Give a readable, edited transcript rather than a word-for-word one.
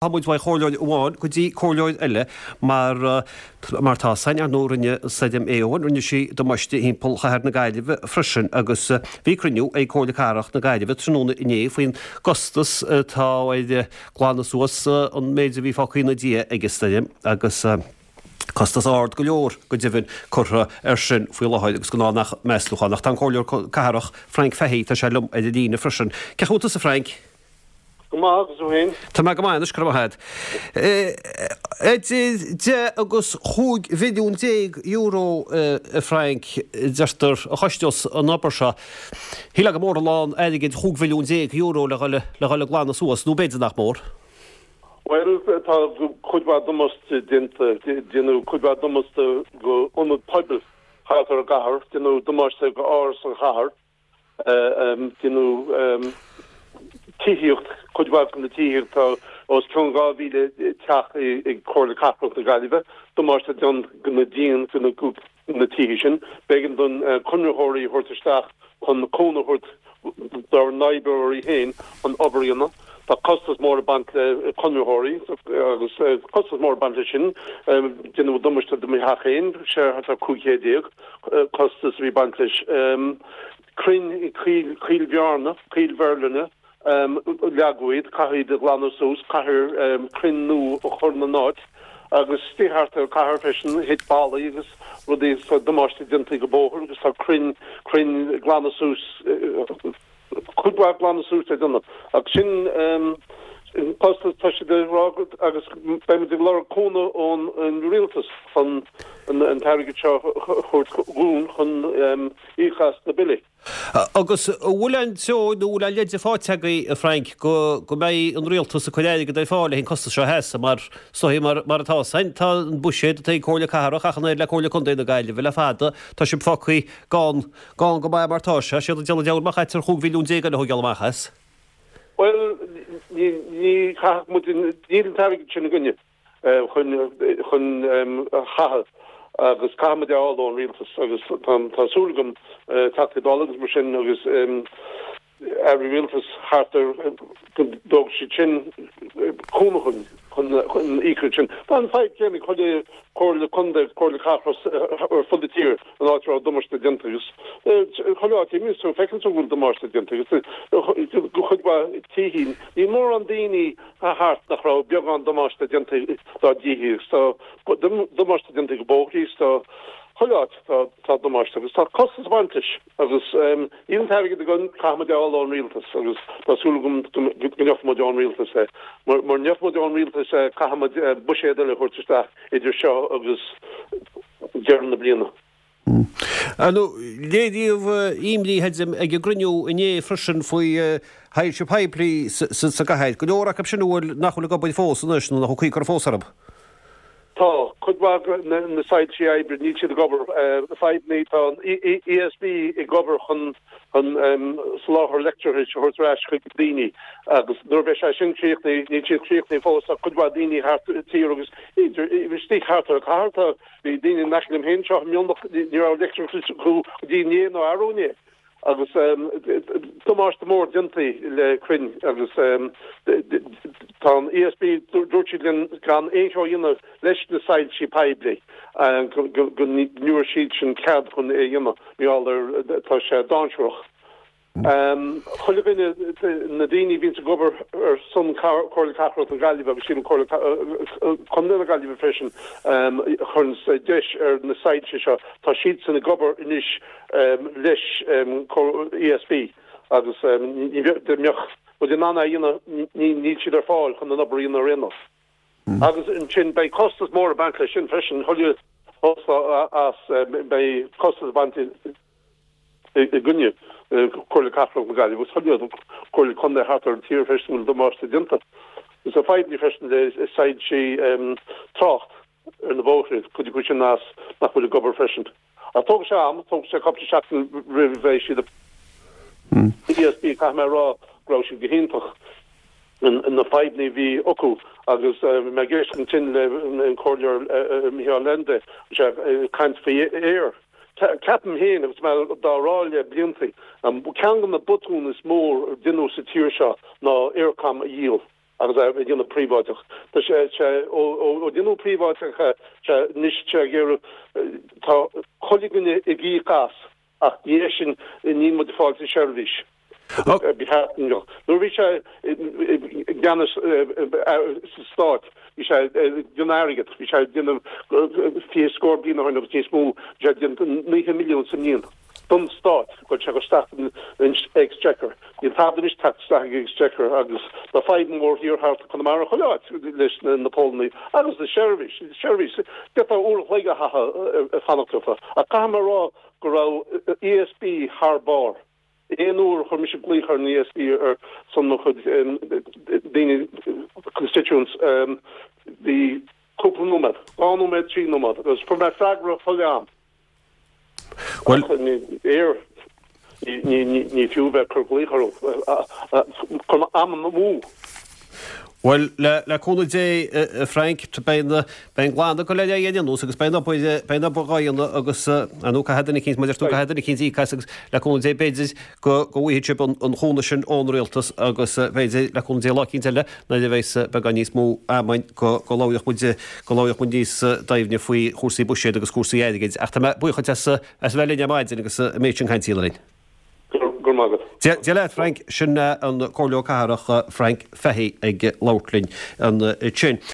Tá muid uaidh chomhairleoir amháin go dtí comhairleoir eile mar mar tá 's againn, ar ndóigh rinne Stoirm Éowyn, rinne sí damáiste thimpeall chathair na Gaillimhe freisin agus bhí cruinniú ag Comhairle Cathrach na Gaillimhe tráthnóna inné faoin gcostas atá ar glanadh suas an méid a bhí fágtha ina diaidh ag an stoirm agus costas ard go leor go deimhin curtha air sin faoi láthair agus gnáthnach measúchán. Ach tá an Comhairleoir Cathrach Frank Fahey, tá sé liom ar an líne freisin. Cén chaoi a bhfuil tusa Frank? Go maith, agus tú féin? Tá mé go maith anois, go raibh maith agat. Idir 10 agus 15 mhilliún euro, a Frank, deirtear, a chostós an obair seo. Shílfeá gur mór a lán airgid €15 mhilliún le dhul le dhul ag glanadh suas, nó b'fhéidir nach mór. Bhuel, tá cuid mhaith damáiste déanta, déanadh cuid mhaith damáiste go ionad poibil thart ar an gcathair, déanadh damáiste go Áras an Chathair, Déanadh tithíocht, cuid mhaith de na tithíocht, tá os cionn 2,000 teach ag Comhairle Cathrach na Gaillimhe, damáiste déanta go na díon go na tithe sin. B'éigean don conraitheoirí a thabhairt isteach chun cúnamh a thabhairt dár n-oibreoirí féin chun obair a dhéanamh. Tá costas mór ag baint le conraitheoirí agus costas mór ag baint leis sin. Déanadh damáiste do mo theach féin, sé thart ar 1500. costas a bhí ag baint leis. Crainn i Coill Bhearna, Coill Bhearlainne, leagadh iad, caithfear iad a ghlanadh suas, caithfear crainn nua a chur ina n-áit agus istigh thart ar an chathair freisin, thit ballaí agus rudaí agus tá damáiste déanta go bóthar agus tá crainn, crainn a ghlanadh suas. Cuid mhaith glanadh suas le déanamh. Ach sin an costas, tá siad ag rá agus beimid ag lorg cúnamh ón rialtas chun an t-airgead seo a thabhairt dhúinn chun íoc as na billí. Agus an bhfuil aon treo nó an bhfuil aon leide faighte agaibh, a Frank, go mbeidh an rialtas ag cur airgead ar fáil le haghaidh an costas seo a sheasamh mar is dóigh mar atá san, tá an buiséad atá ag Comhairle Cathrach ach an oiread le Comhairle Contae na Gaillimhe le fada, tá sibh fágtha gann. Gann go maith mar tá sé, séard a déanamh deabhal má chaitear 15 mhilliún eile a thógáil amach as. Bhuel, ní, ní chaithfeadh muid, níl an t-airgead sin againne chun, chun a chaitheamh agus caithfidh muid é a fháil ón rialtas agus tá, tá súil agam Teachtaí Dála agus mar sin agus Airí Rialtais thart ar go dtógfaidh siad sin cúnamh chun chun íoc sin. Tá an fadhb céanna ag chuile chomhairle contae agus comhairle cathrach ar fud na tíre an áit a raibh damáiste déanta agus chuile áit a imíonns tú feiceann tú go bhfuil damáiste déanta agus go chuid mhaith tithí. Níl mórán daoine thart nach raibh beagán damáiste déanta dá dtithe agus tá damáiste déanta go bóithrí agus tá chuile áit tá damáiste agus tá costas ag baint leis. Agus níl an t-airgead againn, caithfimid é a fháil ón rialtas agus tá súil agam go ngeobhaidh muid ón rialtas é. Mura ngeobhaidh muid ón rialtas é, caithfimid buiséad eile a thabhairt isteach idir seo agus deireadh na bliana. Ar ndóigh, léiríodh imní ag an gcruinniú inné freisin faoi shoilse poiblí sa gcathair. Go leor acu sin a bhfuil, nach bhfuil ag obair fós anois nó nach bhfuil caoi curtha fós orthu. Tá, cuid mhaith de na soilsí oibre, níl siad ag obair. Fadhbannaí, tá an ESB ag obair chun soláthar leictreachais a thabhairt ar ais chuig daoine agus nuair a bheidh sé sin críochnaithe, níl siad críochnaithe fós, tá cuid mhaith daoine thart an tír agus istigh thart ar an chathair, tá, bhí daoine in aice liom féin anseo i Mionlach, ní raibh leictreachas acu go dtí inné nó arú inné. Agus damáiste mór déanta le crainn agus tá an ESB, dúirt siad linn gan aon cheo a dhéanamh leis na soilsí poiblí go ngeobhaidh siadsan cead chun é a dhéanamh mar gheall ar tá sé dainséarach. Chuile dhuine, na daoine a bhíonns ag obair ar son Comhairle Cathrach na Gaillimhe agus sílim Comhairle Contae na Gaillimhe freisin, a chuireanns deis ar na soilse seo, tá siadsan ag obair anois leis ESB agus dá mbeadh muid in ann é a dhéanamh, níl siad ar fáil chun an obair a dhéanamh ar aon nós. Agus ansin beidh costas mór ag baint leis sin freisin, chuile as beidh costas ag baint i gcoinne Comhairle Cathrach na Gaillimhe agus chuile Comhairle Contae thart ar an tír freisin a bhfuil damáiste déanta. Is fadhbanna freisin le soilsí trácht. ar na bóithre, cuid acu sin as nach bhfuil ag obair freisin. Ach tógfaidh sé am, tógfaidh sé cúpla seachtain roimh a bheidh siad ESB, caithfidh mé a rá go raibh siad go hiontach na fadhbanna a bhí acu agus bhí mé ag éisteacht ansin le an Comhairleoir Micheál Leainde, sé ag caint faoi aer. Ceapaim féin, agus mé dá rá le blianta, ceann de na botúin is mó a deineadh sa tír seo ná Eircom a dhíol. Agus é a dhéanamh príobháideach. Tá sé, sé, ó, ó, ó déanadh príobháideach é, sé, anois tá sé ag iarraidh, tá chuile dhuine ag íoc as ach ní é sin, níl muid ag fáil an seirbhís. Nuair a bhí sé i gceannas sa Stát, bhí sé ag déanamh airgead, bhí sé ag déanamh 20 scór bliain ó shin agus níos mó, bhí sé ag déanamh 90 milliún sa mbliain don Stát, chuir sé isteach an Exchequer. Níl tada anois ag teacht isteach ag Exchequer agus tá fadhb mhór thiar thart i Conamara chuile áit leis na póilíní agus na seirbhís, seirbhís, d'fhéadfá uair an chloig a chaitheamh ag fanacht orthu. Ach caithfidh mé a rá go raibh ESB thar barr. Aon uair a chuir mise glaoch ar an ESB ar son mo chuid daoine, constituents, bhí cúpla nóiméad, 2 nóiméad, 3 nóiméad, agus fuair mé freagra chuile am. Bhuel. Ní fiú bheith ag cur glaoch orthu, cuir am amú. Bhuel, le cúnamh Dé, a Frank, beidh an glanadh ag dul ar aghaidh ar aon nós agus beidh an obair, beidh an obair dhá dhéanamh agus, ar ndóigh, caithfidh duine eicínt, mar a deir tú, caithfidh duine eicínt íoc as agus le cúnamh Dé, b'fhéidir go bhfaighidh sibh an chúnamh sin ón rialtas agus b'fhéidir, le cúnamh Dé, lá eicínt eile nuair a bheas beagán níos mó ama againn go labhróidh muid, go labhróidh muid níos doimhne faoi chúrsaí buiséid agus cúrsaí airgid. Ach tá mé buíoch duit as a bheith linn ar maidin agus an méid sin cainte a dhéanamh linn. Go raibh maith agat. Dia leat, Frank. Sin an Comhairleoir Cathrach Frank Fahey ag labhairt linn ansin.